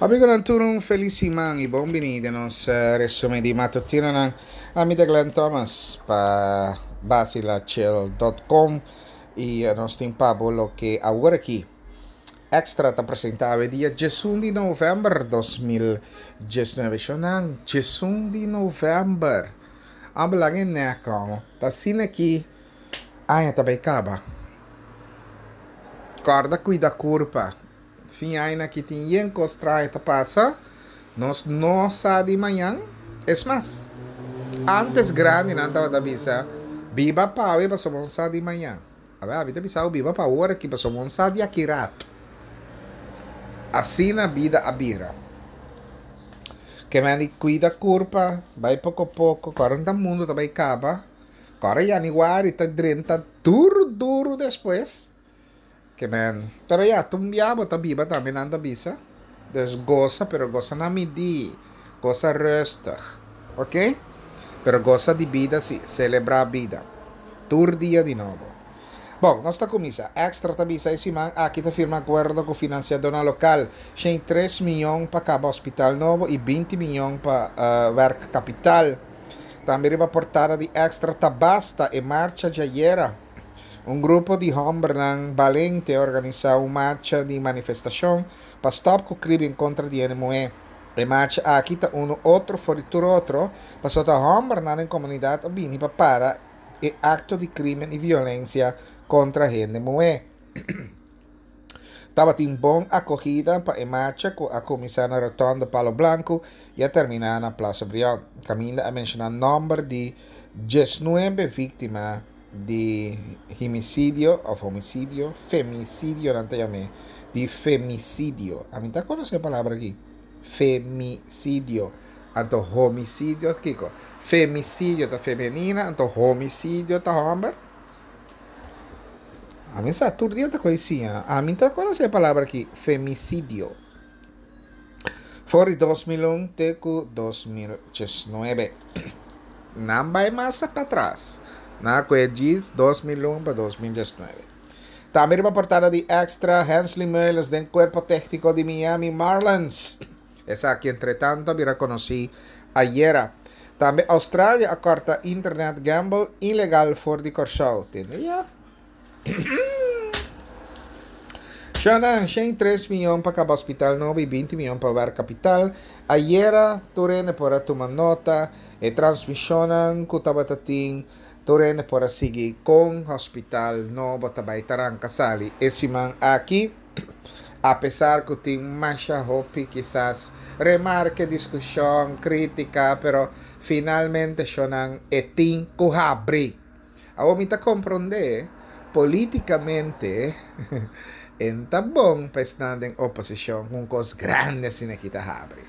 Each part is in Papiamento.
Amigonan tur un felis siman y bon bini den nos resumen di matutinonan. Ami ta Glenn Thomas pa basilachel.com y nos tin pa bo loke awor aki Extra ta presenta awe dia 11 di november 2019. Shonan, 11 di november. Abo laga e nek como. Ta asina aki aña ta bay caba. Corda cuida curpa. Fin aña aki tin yen kos trae ta pasa, nos no sa di mañan. Es mas, antes grandinan tabata bisa, biba pa awe pasobra bo no sa di mañan. Awor abi ta bisa bo biba pa awor aki pasobra bo no sa di aki rato. Asina bida a bira. Ke men di kuida kurpa, bai poko poko, kòrda ta mundu ta bai kaba, kòrda yaniguari ta drenta duru duru despues. Ke men, pero ya, ta un bia bo ta biba tambe nan ta bisa. Dus gosa, pero gosa na midí, gosa rustig, ok? Pero gosa di bida si, selebrá bida. Tur dia di nobo. Bon, nos ta kuminsá. Extra ta bisa e siman aki ta firma akuerdo ku finansiadónan lokal, shen tres mion pa kaba hospital nobo i binti mion pa werkkapital. Tambe riba portada di Extra ta basta e marcha djayera. Un grupo di hòmbernan balente a organisá un marcha di manifestashon pa stòp ku krimen kontra di hende muhé. E marcha aki ta unu otro for di tur otro pasobra ta hòmbernan den komunidat a bini pa para e akto di krimen i violensia kontra hende muhé. Tabatin bon akogida pa e marcha ku a kuminsá na Rotonde Palo Blanku i a terminá na Plaza Brion, kaminda a menshoná nòmber di diesnuebe víktima di himisidio of homicidio, femicidio nan ta yam'é, di femicidio. Ami ta konosé e palabra aki, femicidio. Anto homicidio kiko? Femicidio ta femenina, anto homicidio ta hòmber? Ami sa tur dia ta koe siña. Ami ta konosé e palabra aki, femicidio. For di 2001 te ku 2019. Nan bai mas patras. Nan a koe djis 2001 pa 2019. Tambe riba portada di Extra, Hensley Meulens den kuerpo tékniko di Miami Marlins. Esaki entretanto a bira konosí ayera. Tambe Australia a kòrta internet gamble ilegal for di Kòrsou. Tende ya. Shonan, 103 miyon pa kaba hospital nobo i 20 miyon pa wer kapital. Ayera tur hende por a tuma nota e transmishonnan ku tabata tin, tur hende por a sigui kon hospital nobo ta bai ta ranka sali e siman aki. Apesar ku tin masha hopi kisas remarke, diskushon, kritika, pero finalmente shonan e tin ku habri. Awor mi ta komprondé polítikamente e no ta bon pa esnan den oposishon ku un kos grandi asina aki ta habri.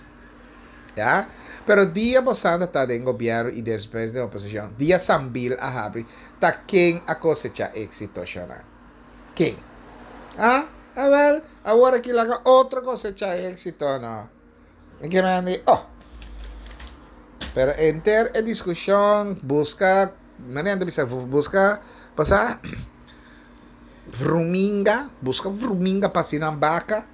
Ya? Pero dia bosnan ta ta den gobièrnu i despues den oposishon, dia Sambil a habri, ta ken a kosechá éksito shona? Ken? Ah, awèl, awor aki laga otro kosechá éksito no. Mi ke men di, oh. Pero enter e diskushon, buska, manera nan ta bisa, buska, pasa, vruminga, buska vruminga pa hasi nan baka.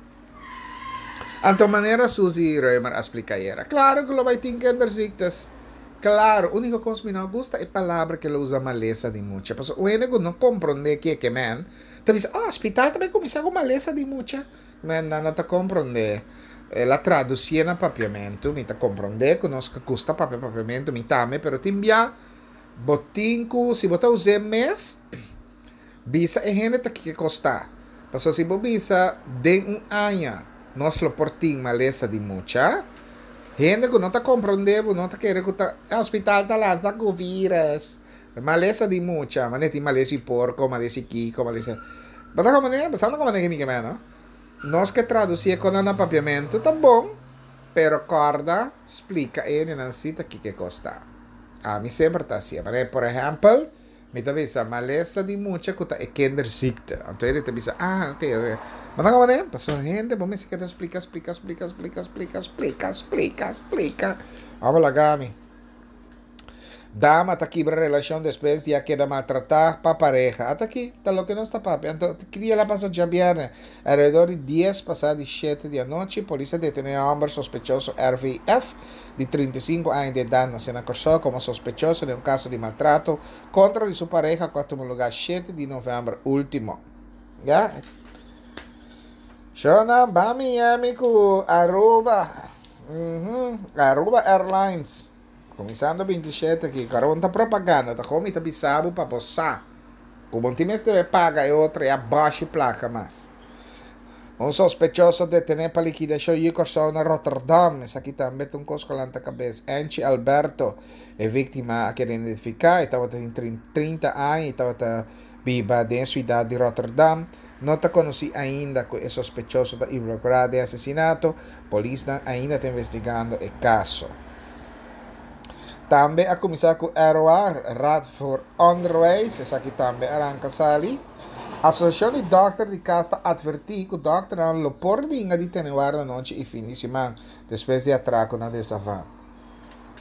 Anto manera Suzy Römer a splika ayera, klaro ku lo bai tin kinderziektes. Klaro, úniko kos mi no a gusta e palabra ku el a usa malesa di mucha. Pasobra un hende ku no komprondé ke ke men, ta bisa, oh, hospital ta bai kuminsá ku malesa di mucha. Men nan no ta komprondé. El a tradusié na papiamentu. Mi ta komprondé ku nos ka gusta papia papiamentu, mi tambe, pero tin bia bo tin ku, si bo ta us'é mes, bisa e hende ta kiko kos ta. Pasobra si bo bisa den un aña nos lo por tin malesa di mucha, hende ku no ta komprondé bo no ta kere ku ta e hospital ta lasta ku vírus. Malesa di mucha, manera tin malesa di porko, malesa di kiko, malesa. Bo ta komprendé? Bo sa no komprendé ke mi ke meen, no? Nos ke tradusí e konan na papiamentu ta bon, pero kòrda splika e hendenan si ta kiko e kos ta. Ami semper ta hasié. Manera por ehèmpel, mi ta bisa malesa di mucha ku ta e kinderziekte. Anto hende ta bisa, ah, oke, oke. Bo ta komprendé? Pasobra hende bo mester keda splika, splika, splika, splika, splika, splika, splika, splika. Abo laga mi. Dama ta kibra relashon despues di a keda maltratá pa pareha. Ata aki ta loke nos ta papia. Anto ki dia el a pasa djabièrnè? Alrededor di dies pasá di shete di anochi, polis a detené e hòmber sospechoso RVF, di 35 aña di edat, nasé na Kòrsou, komo sospechoso den un kaso di maltrato kontra di su pareha ku a tuma lugá shete di novèmber último. Ya. Shona, ban Miami ku Aruba. Aruba Airlines. Kuminsando 27 aki, karo ta propaganda, ta komo mi ta bisa bo pa bo sa ku bo tin mester e paga e otro e a bashi plaka mas. Un sospechoso detené pa likidashon yu Kòrsou na Rotterdam. Esaki tambe ta un kos ku a lanta kabes. Anchi Alberto, e víktima a keda identifiká, e tabata tin 30 aña i tabata biba den e siudat di Rotterdam. No ta konosí ainda ku e sospechoso ta involukrá den asesinato. Polisnan ainda ta investigando e kaso. Tambe a kuminsá ku ROA, Raad voor Onderwijs, esaki tambe a ranka sali. Asosiashon di dòkter di kas ta atvertí ku dòkternan lo por ninga di tene warda anochi i fin di siman despues di atrako na Desavan.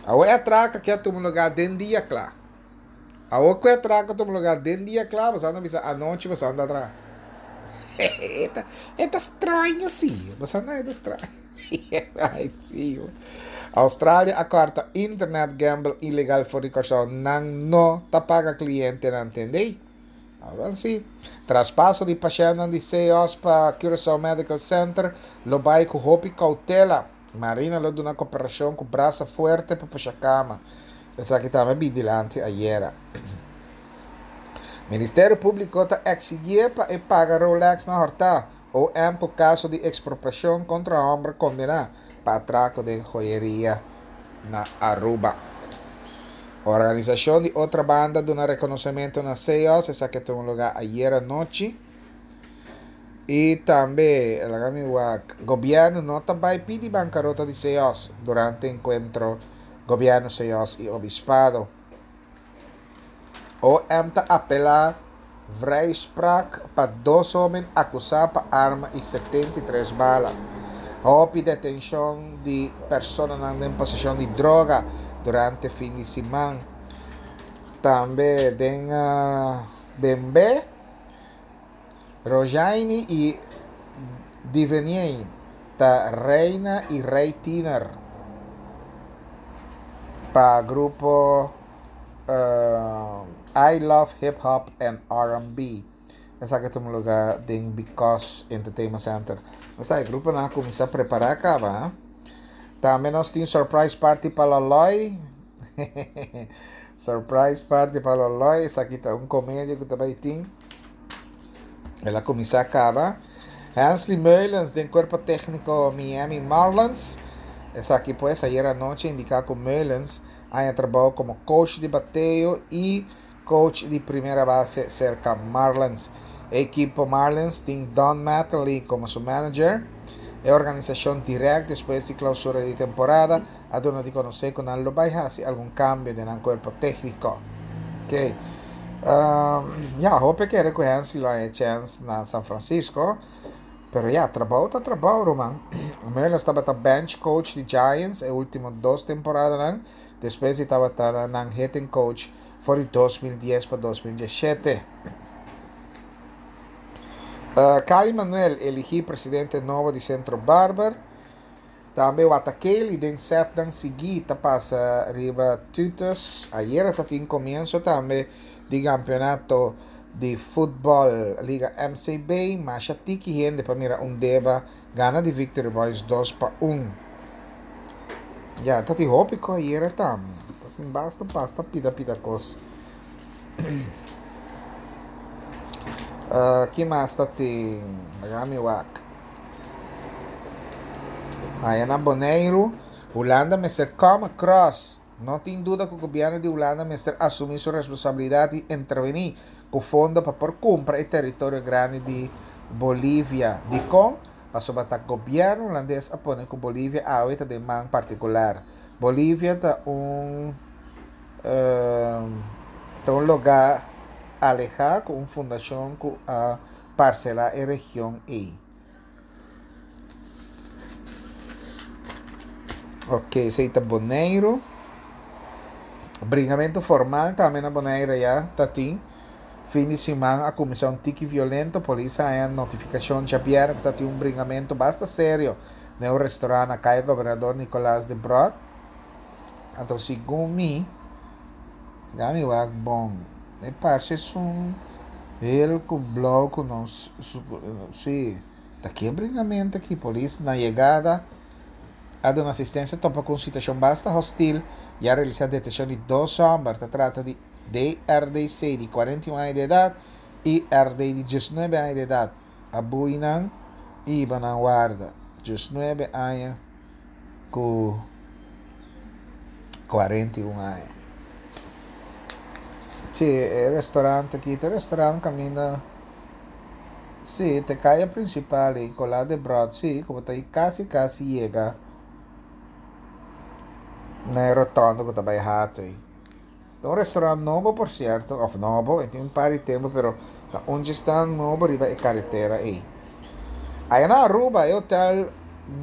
Awor e atrako aki a tuma lugá den dia kla. Awor ku e atrako a tuma lugá den dia kla, boso anda bisa anochi boso anda atrá. E ta straño sí, boso anda e ta straño. Ay sí. Australia a kòrta internet gamble ilegal for di Kòrsou. Nan no ta paga klientenan, tendei? Awel sí. Traspaso di pashèntnan di CEOS pa Curaçao Medical Center lo bai ku hopi koutela. Marina lo duna koperashon ku brasa fuerte pa pusha kama. Esaki tambe bi dilanti ayera. Ministerio Públiko ta eksigié pa e paga Rolex na hòrtá. OM ku kaso di ekspropiashon kontra hòmber kondená pa atrako den joyeria na Aruba. Organisashon di Otrabanda duna rekonosementu na CEOS, esaki a tuma lugá ayera anochi. I tambe, laga mi wak, gobièrnu no ta bai pidi bankarota di CEOS durante enkuentro gobièrnu CEOS i obispado. OM ta apelá vrijspraak pa dos hoben akusá pa arma i 73 bala. Hopi detenshon di personanan den poseshon di droga durante fin di siman. Tambe den Bembe, Rojaini i Diveniei ta reina i rei tiener pa grupo I Love Hip Hop and R&B. Esaki a tuma luga den Because Entertainment Center. Esa e gruponan a kuminsá prepará kaba. Tambe nos tin surprise party pa Loloy. Surprise party pa Loloy. Esaki ta un komedia ku ta bai tin. El a kuminsá kaba. Hensley Meulens den kuerpo tékniko Miami Marlins. Esaki pues ayera anochi a indiká ku Meulens a haña trabou komo coach di bateo i coach di primera base serka Marlins. E ekipo Marlins tin Don Mattingly komo su manager. E organisashon dirèkt despues di klausura di temporada a duna di konosé ku nan lo bai hasi algun kambio den nan kuerpo tékniko. Ok. Ya, hopi a kere ku Hensley lo haña e chèns na San Francisco, pero ya, trabou ta trabou, ruman. Meulens tabata bench coach di Giants e último dos temporadanan, despues di tabata nan hitting coach for di 2010 pa 2017. Cali Manuel eligí presidente nobo di Centro Barber. Tambe Watakeli den setnan sigui ta pasa riba Tutus. Ayera ta tin komienso tambe di kampeonato di futbòl Liga MCB. Masha tiki hende pa mira un deba gana di Victory Boys 2-1. Ya, ta tin hopi ko ayera tambe. Ta tin basta basta pida pida kos. Ki mas ta tin? Laga mi wak. Aya na Boneiru, Hulanda mester come across. No tin duda ku gobièrnu di Hulanda mester asumí su responsabilidat i intervení ku fondo pa por kumpra e teritorio grandi di Bolivia. Dikon? Pasobra ta gobièrnu hulandes a pone ku Bolivia awe ta den man partikular. Bolivia ta un ta un lugá alehá ku un fundashon ku a parselá e region ei. Ok, esei ta Boneiru. Bringamentu formal tambe na Bonaire ya ta tin. Fin di siman a kuminsá un tiki violento. Polis a haña notifikashon djabièrnè ku ta tin un bringamentu basta serio den un restorant na Kaya Gobernador Nicolaas Debrot. Anto segun mi, laga mi wak bon, e parse esun hel ku blou ku nos, si, ta ki e bringamentu aki? Polis na yegada a duna asistencia topa cu un situacion basta hostil y a realisa detencion di dos homber. Ta trata di DRDC di 41 aña di edad y RD di 19 aña di edad. A bui nan y hiba nan warda. 19 aña cu 41 aña. Si, e restaurant aki ta e restaurant caminda. Sí, te kaya prinsipal ei, Colá de Bròd, sí, ku bo ta ei kasi kasi yega na e rotònde ku ta bai Hato ei. Ta un restaurant nobo por sierto, òf nobo, e tin un par di tempu, pero ta un djesnan nobo riba e karetera ei. Aya na Aruba e hotel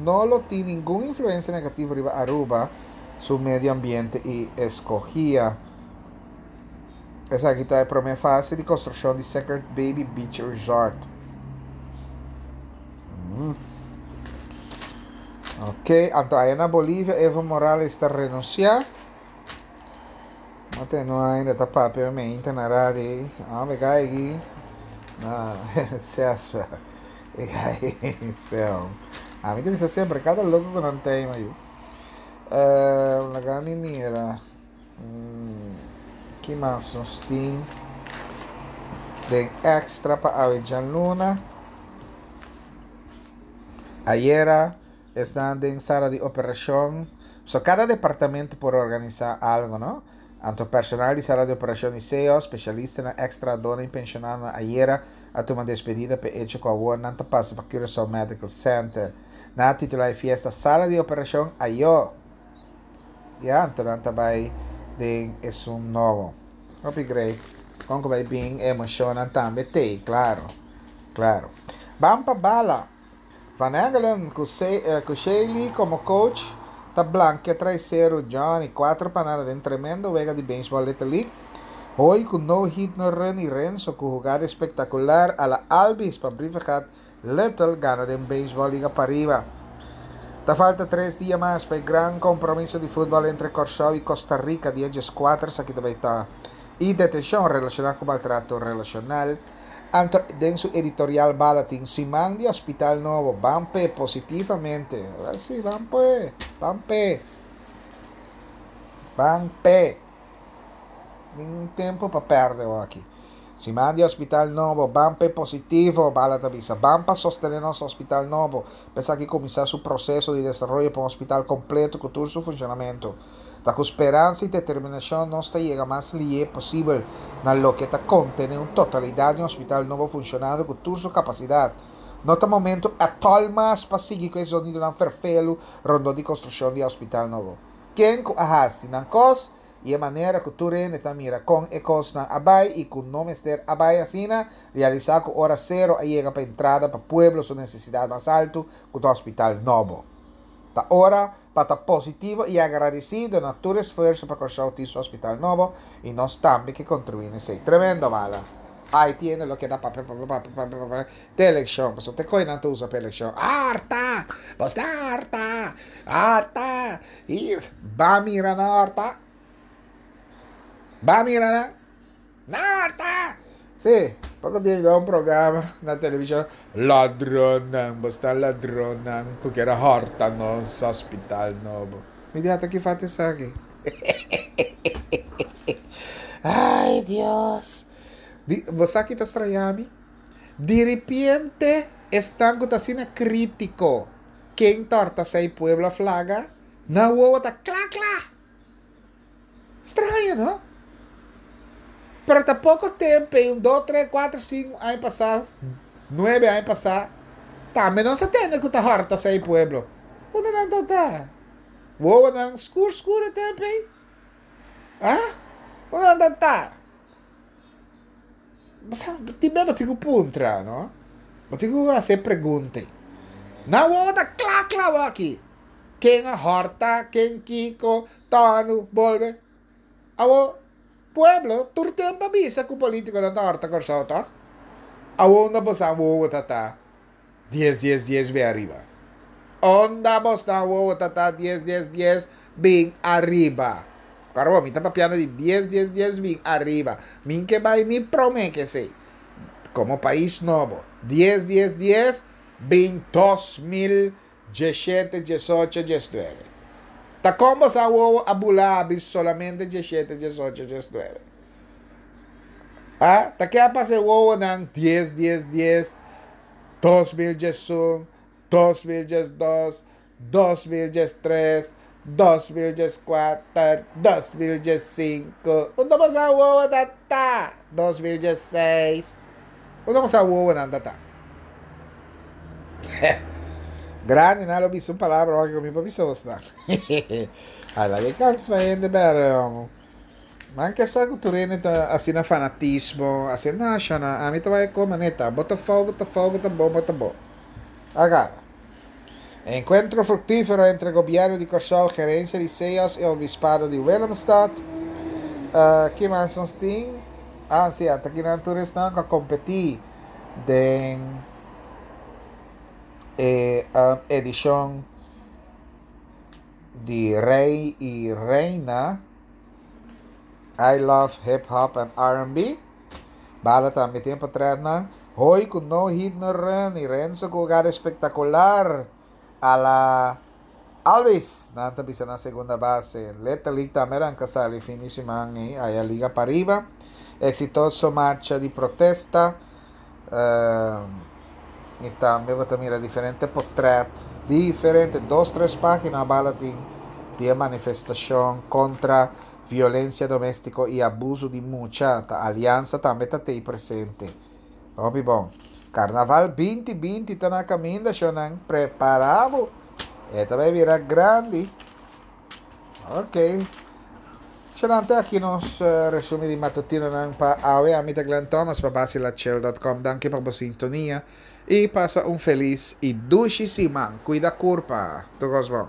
no lo tin ningun influensia negativo riba Aruba su medio ambiente i eskohia. Esaki ta e prome fase di construccion di Sacred Baby Beach Resort. Mm. Ok, anto aya na Bolivia Evo Morales ta renuncia. No te no ainda ta papia me inta na radio ei. Ah, me gai aquí. Na, César. E gai, céu. A mi te bisa sempre, cada loco cu nan tema, yu. Uh, laga mi mira. Ki mas nos tin den extra pa awe djaluna? Ayera esnan den sala di operashon. So kada departamento por organisa algo, no? Anto personal di sala di operashon di SEO, spesialistanan, eks trahadornan i penshonadonan ayera a tuma despedida p'e echo ku awor nan ta pasa pa Curaçao Medical Center. Nan a titula e fiesta Sala di Operashon Ayó! Ya, anto nan ta bai den esun nobo. Hopi great. Kon ku bai bin e emoshonnan tambe t'ei, klaro. Klaro. Ban pa bala. Van Engelen ku ku Shaylee komo coach ta blankia traiseru Johnny 4 pa nada den tremendo wega di Baseball Little League. Hoy ku no hit no run i Renzo ku hugada espektakular a la Albies pa Brievengat Little gana den Beisbòl Liga Pariba. Ta falta tres dia mas pa e gran kompromiso di futbòl entre Kòrsou i Costa Rica dia dieskuater esaki ta bai ta. I detenshon relashoná ku maltrato relashonal. Anto den su editorial Bala tin siman di hospital nobo ban p'e positivamente. Wèl si ban p'e, ban p'e, ban p'e. Ningun tempu pa pèrdè awor aki. Siman di hospital nobo, ban p'e positivo, Bala ta bisa. Ban pa sostené nos hospital nobo, pa esaki kuminsá su proseso di desaroyo pa un hospital kompleto ku tur su funshonamentu. Ta ku speransa i determinashon nos ta yega mas lié posibel na loke ta kontené un totalidat di un hospital nobo funshonando ku tur su kapasidat. No ta momentu ètòl mas pa sigui ku e zonidonan ferfelu rondó di konstrukshon di e hospital nobo. Ken ku a hasi nan kos i e manera ku tur hende ta mira kon e kosnan a bai i ku no mester a bai asina, realisá ku ora sero a yega pa entrada pa pueblo su nesesidat mas altu ku ta hospital nobo. Ta ora pa ta positivo i agradesido na tur esfuerso pa Kòrsou tin su hospital nobo i nos tambe ke kontribuí na esei. Tremendo mala. Ai tiene lo keda papia papia papia papia papia te elekshon pasobra te koe nan ta usa pa elekshon. Harta! Bos ta harta! Harta! I ba mira na horta. Ba mira na na horta. Sí, poko dia mi ta un programa na televishon. Ladronnan, bo sta ladronnan ku kier a horta nos hospital nobo. Mi di ata ki fat esaki. Ay Dios. Di, bo sa ki ta straña mi? Di ripiente esnan ku ta asina kritiko. Ken torta sei pueblo a flaga? Nan wowo ta kla kla. Straño, no? Pero ta poko tempo, un, dos, tres, cuatro, cinco aña pasá, nuebe aña pasá, tambe nos a tende ku ta horta sei pueblo. Unda nan ta ta? Wowonan skur skur e tempo ei? Ah? Unda nan ta ta? Tin bes bo tin ku puntra, no? Bo tin ku hasi e pregunta ei. Nan wowo ta kla kla awor aki. Ken a hòrta, ken kiko, tònu, bolbe. Awor, pueblo tur tempu a bisa ku polítikonan ta hòrta Kòrsou, tòg? Awor unda boso a wowo ta ta dies dies dies bin ariba? Unda bosnan wowo ta ta dies dies dies bin ariba? Kòrda bo, mi ta papiando di dies dies dies bin ariba. Mi ke bai ni promé ke esei. Komo pais nobo, dies dies dies bin 2017, 18, 19. Ta kon bo sa wowo a bula abi solamente 17, 18, 19? Ah, ta ke a pasa e wowonan 10, 10, 10, 2011, 2012, 2013, 2014, 2015. Unda bo sa wowo ta ta? 2016. Unda bo sa wowonan ta ta? Grandi nan lo bisa un palabra hoki ku mi por bisa bosnan. Ai laga e kansa hende bèrdè homo. Nan ke sa ku tur hende ta asina fanatismo, asina na shona ami ta bai koma neta, bo ta fou, bo ta fou, bo ta bon, bo ta bon. Agarra. Encuentro fructífero entre Gobierno di Kòrsou, Gerencia di CEOS y Obispado di Willemstad. Uh, ki mas nos tin? Ah, sí, ata kinan tur esnan ku a kompetí den e edishon di Rey i Reina I Love Hip Hop and R&B. Bala tambe tin potretnan. Hoy ku no hit no run i Renzo ku hugada espektakular a la Alvis. Nan ta bisa na segunda base. Little League tambe ranka sali fin di siman i aya liga pariba. Eksitoso marcha di protesta. I tambe bo ta mira diferente potret, diferente, dos tres pagina bala tin di e manifestacion contra violencia domestico y abuso di mucha. Ta Alianza tambe ta tey presente. Hopi bon. Carnaval binti binti ta na caminda, shownan. Prepara bo. E ta bay bira grandi. Ok. Shownan, te aki nos resumi di matutinonan pa awe. Ami ta Glenn Thomas pa Basilachel.com. Danki pa bo sintonia y pasa un feliz y dushi siman. Cuida curpa. Tur cos bon.